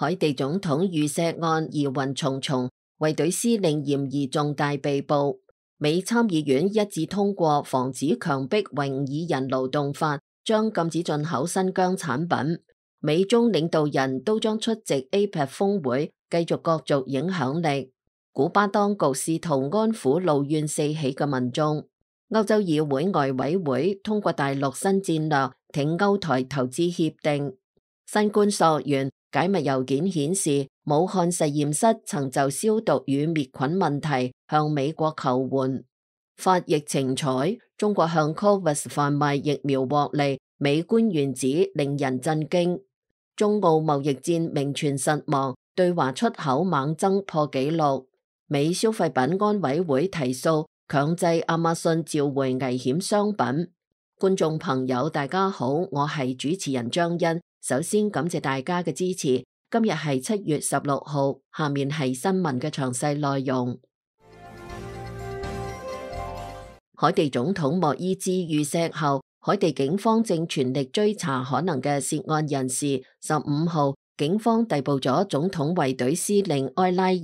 海地總統遇刺案疑雲重重，衛隊司令嫌疑重大被捕。美參議院一致通過防止強迫維吾爾人勞動法，將禁止進口新疆產品。美中領導人都將出席 APEC 峰會，繼續角逐影響力。古巴當局試圖安撫怒怨四起嘅民眾。歐洲議會外委會通過大陸新戰略，挺歐台投資協定。新冠溯源解密郵件顯示，武漢實驗室曾就消毒與滅菌問題向美國求援。發疫情財，中國向 COVAX 販賣疫苗獲利，美官員指令人震驚。中澳貿易戰名存實亡，對華出口猛增破紀錄。美消費品安委會提訴，強制亞馬遜召回危險商品。觀眾朋友大家好，我係主持人張欣。首先感謝大家嘅支持。今日係7月16號，下面係新聞嘅詳細內容。海地總統莫伊茲遇刺後，海地警方正全力追查可能嘅涉案人士。15號，警方逮捕咗總統衛隊司令埃拉爾，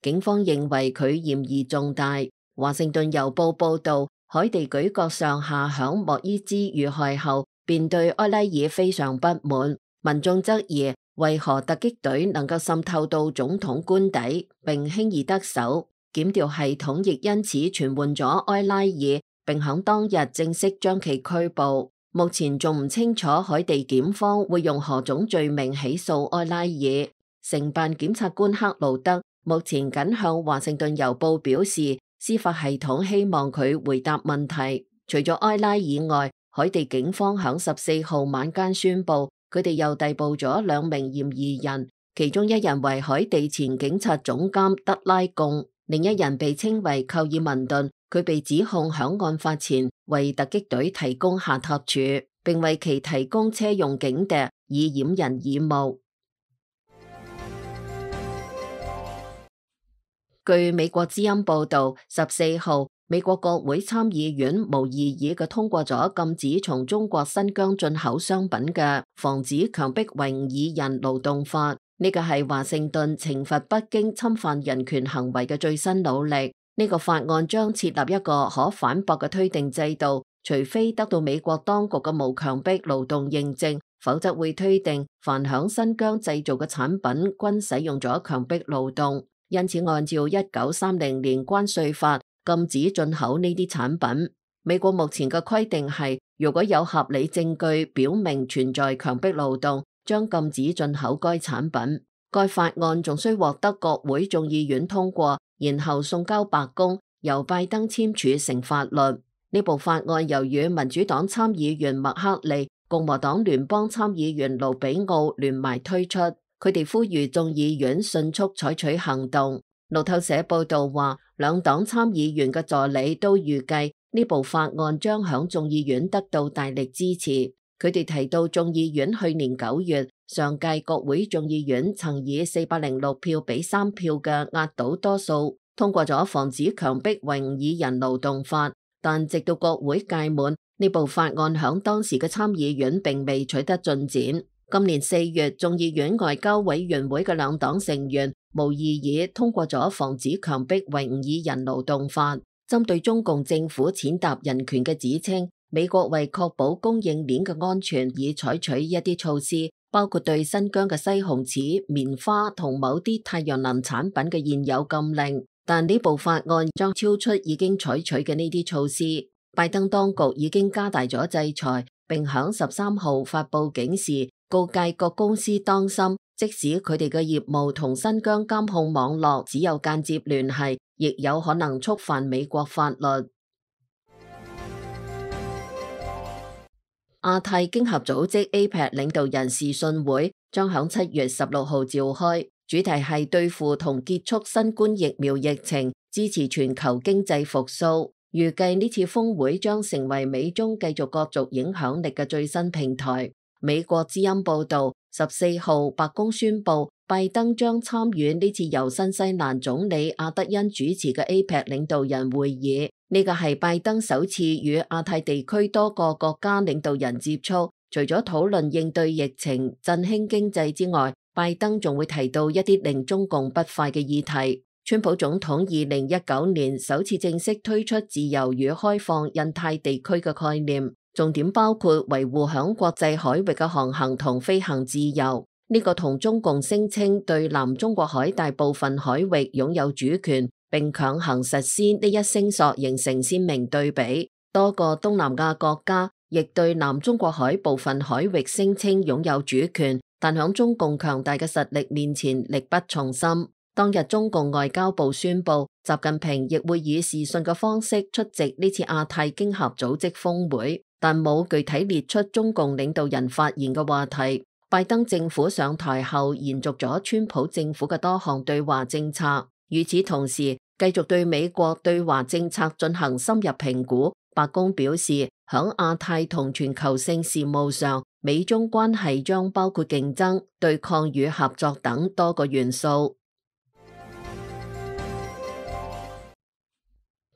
警方認為佢嫌疑重大。華盛頓郵報報道，海地舉國上下響莫伊茲遇害後，便對埃拉爾非常不滿。民眾質疑，為何突擊隊能夠滲透到總統官邸，並輕易得手？檢調系統亦因此傳喚咗埃拉爾，並響當日正式將其拘捕。目前仲唔清楚海地檢方會用何種罪名起訴埃拉爾。承辦檢察官克勞德目前僅向華盛頓郵報表示，司法系統希望佢回答問題。除咗埃拉爾外，海地警方響14號晚間宣布，佢哋又逮捕咗2名嫌疑人，其中一人為海地前警察總監德拉貢，另一人被稱為寇爾文頓，佢被指控響案發前為突擊隊提供下榻處，並為其提供車用警笛以掩人耳目。據美國之音報道，14號，美國國會參議院無異議嘅通過咗禁止從中國新疆進口商品嘅防止強迫維吾爾人勞動法。呢個係華盛頓懲罰北京侵犯人權行為嘅最新努力。呢個法案將設立一個可反駁嘅推定制度，除非得到美國當局嘅無強迫勞動認證，否則會推定凡響新疆製造嘅產品均使用咗強迫勞動。因此，按照1930年關稅法禁止進口呢啲產品。美國目前嘅規定係，如果有合理證據表明存在強迫勞動，將禁止進口該產品。該法案仲需獲得國會眾議院通過，然後送交白宮，由拜登簽署成法律。呢部法案由與民主黨參議員麥克利、共和黨聯邦參議員盧比奧聯埋推出。佢哋呼籲眾議院迅速採取行動。路透社報道話，兩黨參議員嘅助理都預計呢部法案將響眾議院得到大力支持。佢哋提到眾議院去年9月，上屆國會眾議院曾以406票比3票嘅壓倒多數通過咗防止強迫維吾爾人勞動法，但直到國會屆滿，呢部法案響當時嘅參議院並未取得進展。今年4月，眾議院外交委員會嘅兩黨成員無異議通過咗防止強迫維吾爾人勞動法。針對中共政府踐踏人權嘅指稱，美國為確保供應鏈嘅安全，已採取一啲措施，包括對新疆嘅西紅柿、棉花同某啲太陽能產品嘅現有禁令。但呢部法案將超出已經採取嘅呢啲措施。拜登當局已經加大咗制裁，並響13號發布警示，告誡各公司當心，即使佢哋嘅業務同新疆監控網絡只有間接聯繫，亦有可能觸犯美國法律。亞太經合組織 APEC 領導人視訊會將響7月16號召開，主題係對付同結束新冠疫苗疫情，支持全球經濟復甦。預計呢次峰會將成為美中繼續角逐影響力嘅最新平台。美國之音報道，14號白宮宣布，拜登將參與呢次由新西蘭總理阿德恩主持嘅 APEC 領導人會議。呢個係拜登首次與亞太地區多個國家領導人接觸，除咗討論應對疫情、振興經濟之外，拜登仲會提到一啲令中共不快嘅議題。川普總統2019年首次正式推出自由與開放印太地區嘅概念，重點包括維護響國際海域嘅航行同飛行自由。呢個同中共聲稱對南中國海大部分海域擁有主權並強行實施呢一聲索形成鮮明對比。多個東南亞國家亦對南中國海部分海域聲稱擁有主權，但響中共強大嘅實力面前力不從心。當日中共外交部宣布，習近平亦會以視訊嘅方式出席呢次亞太經合組織峰會，但冇具體列出中共領導人發言嘅話題。拜登政府上台後延續咗川普政府嘅多項對華政策，與此同時繼續對美國對華政策進行深入評估。白宮表示，響亞太同全球性事務上，美中關係將包括競爭、對抗與合作等多個元素。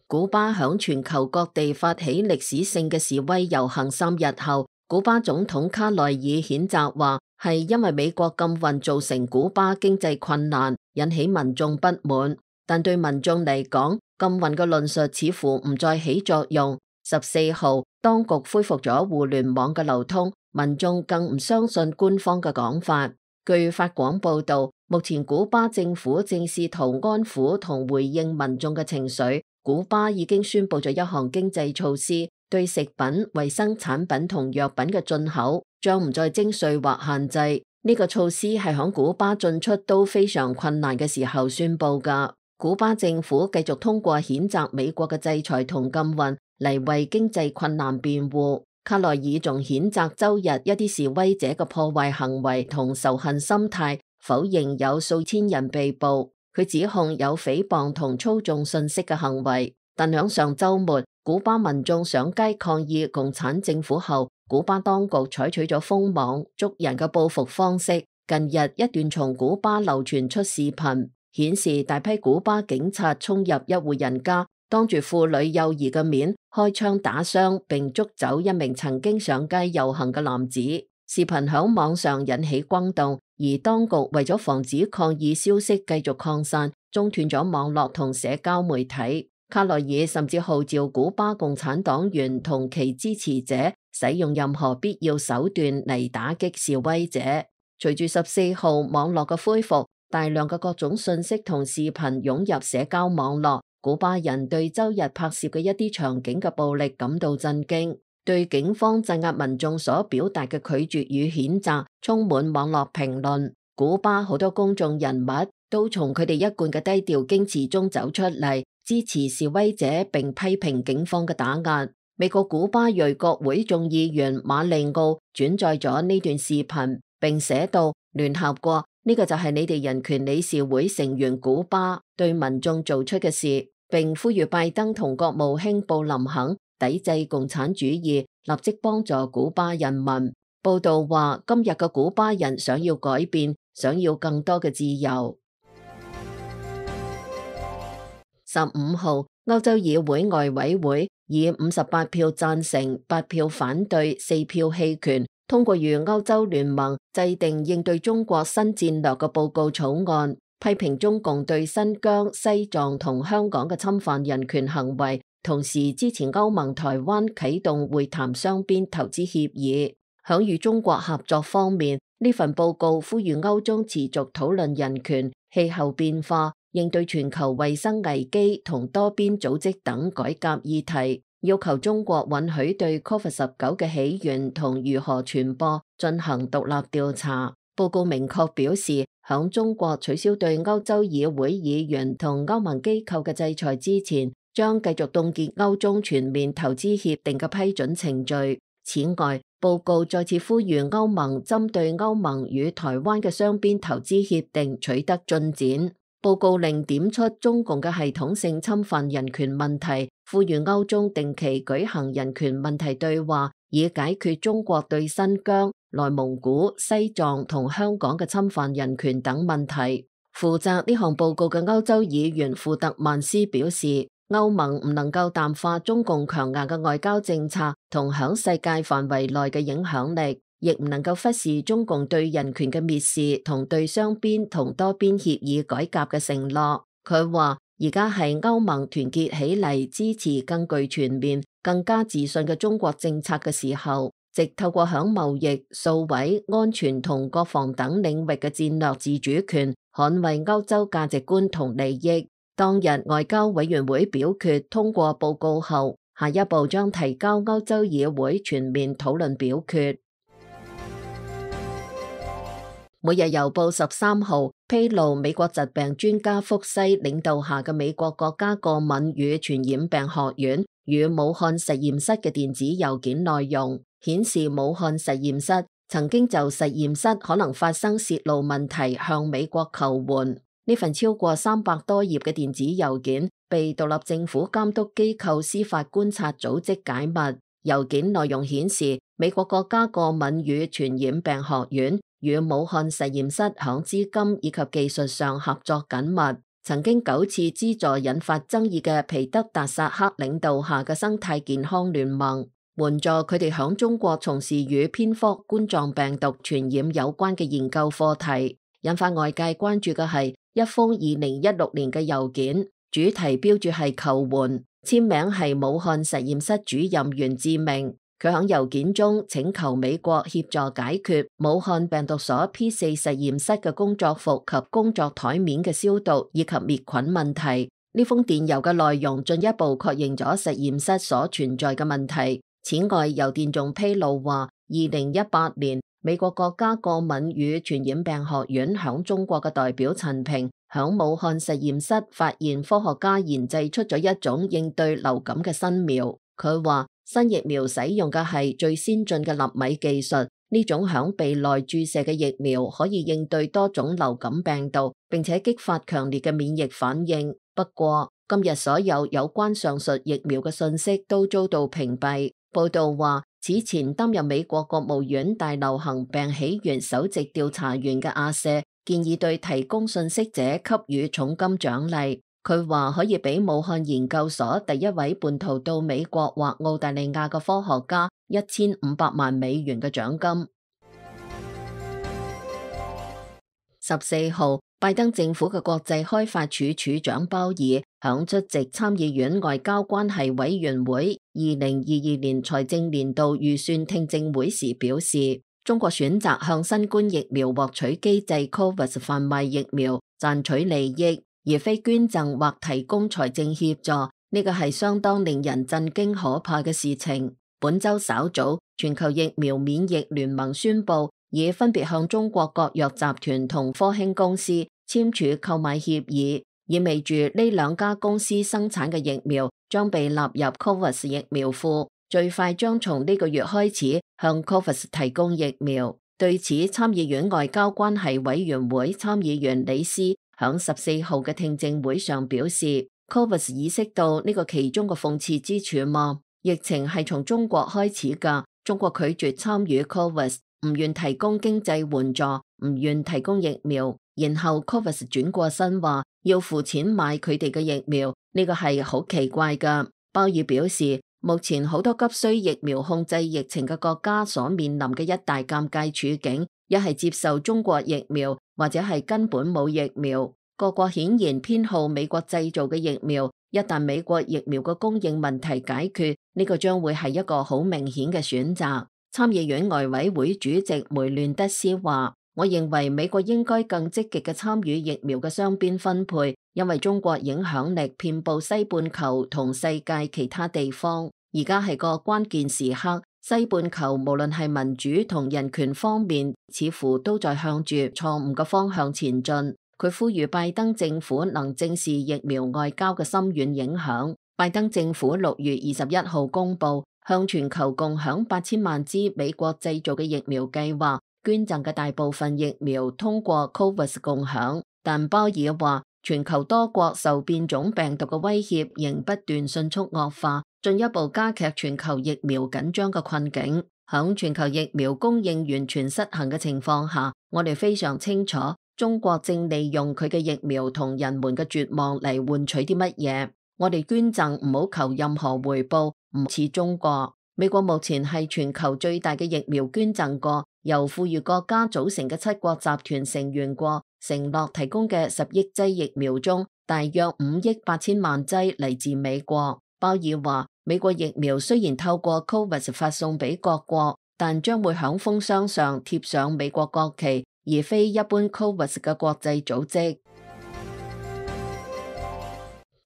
古巴響全球各地發起歷史性嘅示威遊行3日後，古巴總統卡內爾譴責話係因為美國禁運造成古巴經濟困難，引起民眾不滿。但對民眾嚟講，禁運嘅論述似乎唔再起作用。14號，當局恢復咗互聯網嘅流通，民眾更唔相信官方嘅講法。據法廣報道，目前古巴政府正試圖安撫同回應民眾嘅情緒。古巴已經宣布咗一項經濟措施，對食品、衛生產品同藥品嘅進口將唔再徵稅或限制。呢個措施係響古巴進出都非常困難嘅時候宣布㗎。古巴政府繼續通過譴責美國嘅制裁同禁運嚟為經濟困難辯護。卡內爾仲譴責周日一啲示威者嘅破壞行為同仇恨心態，否認有數千人被捕。佢指控有誹謗同操縱信息嘅行為，但響上週末，古巴民眾上街抗議共產政府後，古巴當局採取咗封網、捉人嘅報復方式。近日一段從古巴流傳出視頻，顯示大批古巴警察衝入一戶人家，當住婦女幼兒嘅面開槍打傷並捉走一名曾經上街遊行嘅男子。視頻響網上引起轟動，而當局為咗防止抗議消息繼續擴散，中斷咗網絡同社交媒體。卡內爾甚至號召古巴共產黨員同其支持者使用任何必要手段嚟打擊示威者。隨住14號網絡嘅恢復，大量嘅各種信息同視頻湧入社交網絡，古巴人對周日拍攝嘅一啲場景嘅暴力感到震驚。對警方鎮壓民眾所表達嘅拒絕與譴責充滿網絡評論。古巴好多公眾人物都從佢哋一貫嘅低調矜持中走出嚟，支持示威者並批評警方嘅打壓。美國古巴裔國會眾議員馬利奧轉載咗呢段視頻，並寫道：聯合國，呢個就係你哋人權理事會成員古巴對民眾做出嘅事，並呼籲拜登同國務卿布林肯抵制共產主義，立即幫助古巴人民。報道話，今日嘅古巴人想要改變，想要更多嘅自由。15號，歐洲議會外委會以58票贊成、8票反對、4票棄權，通過與歐洲聯盟制定應對中國新戰略嘅報告草案，批評中共對新疆、西藏同香港嘅侵犯人權行為，同時支持歐盟台灣啟動會談雙邊投資協議。響與中國合作方面，呢份報告呼籲歐中持續討論人權、氣候變化、應對全球衛生危機同多邊組織等改革議題，要求中國允許對 COVID-19 嘅起源同如何傳播進行獨立調查。報告明確表示，響中國取消對歐洲議會議員同歐盟機構嘅制裁之前，將繼續凍結歐中全面投資協定嘅批准程序。此外，報告再次呼籲歐盟針對歐盟與台灣嘅雙邊投資協定取得進展。報告另點出中共嘅系統性侵犯人權問題，呼籲歐中定期舉行人權問題對話，以解決中國對新疆、內蒙古、西藏同香港嘅侵犯人權等問題。負責呢項報告嘅歐洲議員庫特曼斯表示，歐盟唔能夠淡化中共強硬嘅外交政策同響世界範圍內嘅影響力，亦唔能夠忽視中共對人權嘅蔑視同對雙邊同多邊協議改革嘅承諾。佢話而家係歐盟團結起嚟支持更具全面、更加自信嘅中國政策嘅時候，藉透過響貿易、數位、安全同國防等領域嘅戰略自主權，捍衛歐洲價值觀同利益。當日外交委員會表決通過報告後，下一步將提交歐洲議會全面討論表決。每日郵報13號披露美國疾病專家福西領導下嘅美國國家過敏與傳染病學院與武漢實驗室嘅電子郵件內容，顯示武漢實驗室曾經就實驗室可能發生洩露問題向美國求援。呢份超過300多頁嘅電子郵件被獨立政府監督機構司法觀察組織解密。郵件內容顯示，美國國家過敏與傳染病學院與武漢實驗室響資金以及技術上合作緊密，曾經9次資助引發爭議嘅皮德達薩克領導下嘅生態健康聯盟，援助佢哋響中國從事與蝙蝠、冠狀病毒傳染有關嘅研究課題。引發外界關注嘅係一封2016年嘅郵件，主題標註係求援，簽名係武漢實驗室主任袁志明。佢喺郵件中請求美國協助解決武漢病毒所 P4 實驗室嘅工作服及工作台面嘅消毒以及滅菌問題。呢封電郵嘅內容進一步確認咗實驗室所存在嘅問題。此外，郵電仲披露話，2018年美國國家過敏與傳染病學院響中國嘅代表陳平響武漢實驗室發現科學家研製出咗一種應對流感嘅新苗。佢話新疫苗使用嘅係最先進嘅納米技術，呢種響鼻內注射嘅疫苗可以應對多種流感病毒，並且激發強烈嘅免疫反應。不過今日所有有關上述疫苗嘅信息都遭到屏蔽。報道話，此前擔任美國國務院大流行病起源首席調查員嘅阿舍建議對提供信息者給予重金獎勵。佢話可以俾武漢研究所第一位叛逃到美國或澳大利亞嘅科學家1500萬美元嘅獎金。14號，拜登政府嘅國際開發署署長鮑爾響出席參議院外交關係委員會2022年財政年度預算聽證會時表示，中國選擇向新冠疫苗獲取機制 COVAX 販賣疫苗賺取利益，而非捐贈或提供財政協助，呢個係相當令人震驚可怕嘅事情。本周稍早，全球疫苗免疫聯盟宣布，已分別向中國國藥集團同科興公司簽署購買協議，意味住呢兩家公司生產嘅疫苗將被納入 COVAX 疫苗庫，最快將從呢個月開始向 COVAX 提供疫苗。對此，參議院外交關係委員會參議員李斯響14號嘅聽證會上表示 ，COVAX 意識到呢個其中嘅諷刺之處嗎？疫情係從中國開始㗎，中國拒絕參與 COVAX， 唔願提供經濟援助，唔願提供疫苗，然後 COVAX 轉過身話要付錢買佢哋嘅疫苗，呢個係好奇怪㗎。鮑爾表示，目前好多急需疫苗控制疫情嘅國家所面臨嘅一大尷尬處境，一係接受中國疫苗，或者係根本冇疫苗。各國顯然偏好美國製造嘅疫苗，一旦美國疫苗嘅供應問題解決，呢個將會係一個好明顯嘅選擇。參議院外委會主席梅亂德斯話，我認為美國應該更積極嘅參與疫苗嘅雙邊分配，因為中國影響力遍佈西半球同世界其他地方。而家係個關鍵時刻，西半球無論係民主同人權方面，似乎都在向住錯誤嘅方向前進。佢呼籲拜登政府能正視疫苗外交嘅深遠影響。拜登政府6月21號公布向全球共享8000萬支美國製造嘅疫苗計劃，捐贈嘅大部分疫苗通過 COVAX 共享。但鮑爾話，全球多國受變種病毒嘅威脅仍不斷迅速惡化，進一步加劇全球疫苗緊張嘅困境。響全球疫苗供應完全失衡嘅情況下，我哋非常清楚中國正利用佢嘅疫苗同人們嘅絕望嚟換取啲乜嘢。我哋捐贈唔好求任何回報，唔似中國。美國目前係全球最大嘅疫苗捐贈國，由富裕國家組成嘅7國集團成員國承諾提供嘅10億劑疫苗中，大約5億8千萬劑嚟自美國。鮑爾話，美國疫苗雖然透過 COVAX 發送俾各國，但將會響封箱上貼上美國國旗，而非一般 COVAX 嘅國際組織。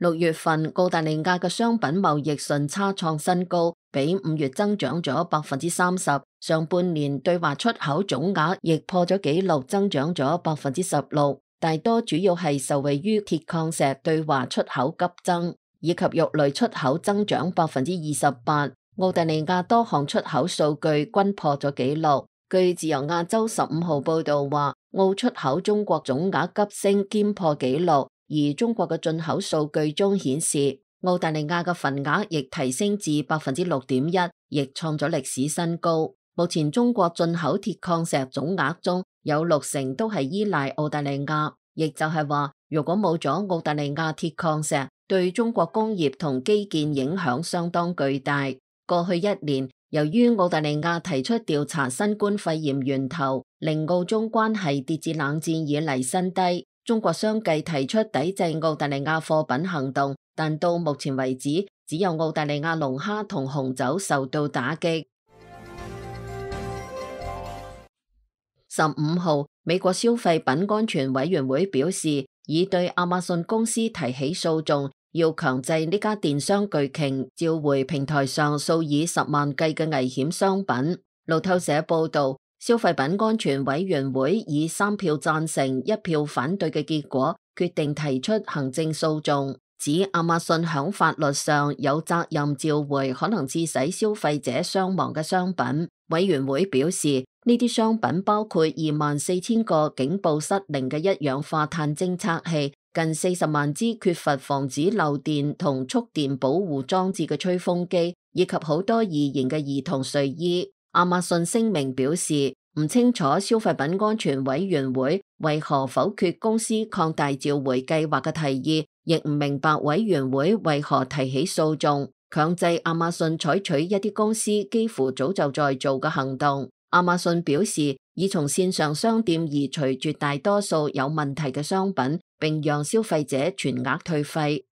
6月份，澳大利亞嘅商品貿易順差創新高，比5月增長咗30%。上半年對華出口總額亦破咗紀錄，增長咗16%。大多主要係受惠於鐵礦石對華出口急增，以及肉類出口增長28%。澳大利亞多項出口數據均破咗紀錄。據自由亞洲15號報道話，澳出口中國總額急升兼破紀錄。而中國嘅進口數據中顯示，澳大利亞嘅份額亦提升至6.1%，亦創咗歷史新高。目前中國進口鐵礦石總額中有60%都係依賴澳大利亞，亦就係話，如果冇咗澳大利亞鐵礦石，對中國工業同基建影響相當巨大。過去1年，由於澳大利亞提出調查新冠肺炎源頭，令澳中關係跌至冷戰以嚟新低。中國相繼提出抵制澳大利亞貨品行動，但到目前為止，只有澳大利亞龍蝦同紅酒受到打擊。15號，美國消費品安全委員會表示，已對亞馬遜公司提起訴訟，要強制呢家電商巨鯨召回平台上數以10萬計嘅危險商品。路透社報道，消費品安全委員會以3票贊成、1票反對嘅結果，決定提出行政訴訟，指亞馬遜響法律上有責任召回可能致使消費者傷亡嘅商品。委員會表示，呢啲商品包括24,000個警報失靈嘅一氧化碳偵測器、近40萬支缺乏防止漏電同觸電保護裝置嘅吹風機，以及好多易燃嘅兒童睡衣。亞馬遜聲明表示，唔清楚消費品安全委員會為何否決公司擴大召回計劃嘅提議，亦唔明白委員會為何提起訴訟，強制亞馬遜採取一啲公司幾乎早就在做嘅行動。亞馬遜表示，已從線上商店移除絕大多數有問題嘅商品，並讓消費者全額退費。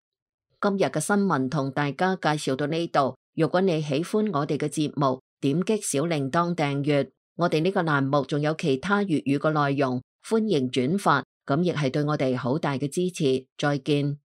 今日嘅新聞同大家介紹到呢度，如果你喜歡我哋嘅節目，點擊小鈴鐺訂閱，我哋呢個欄目仲有其他粵語嘅內容，歡迎轉發，咁亦係對我哋好大嘅支持。再見。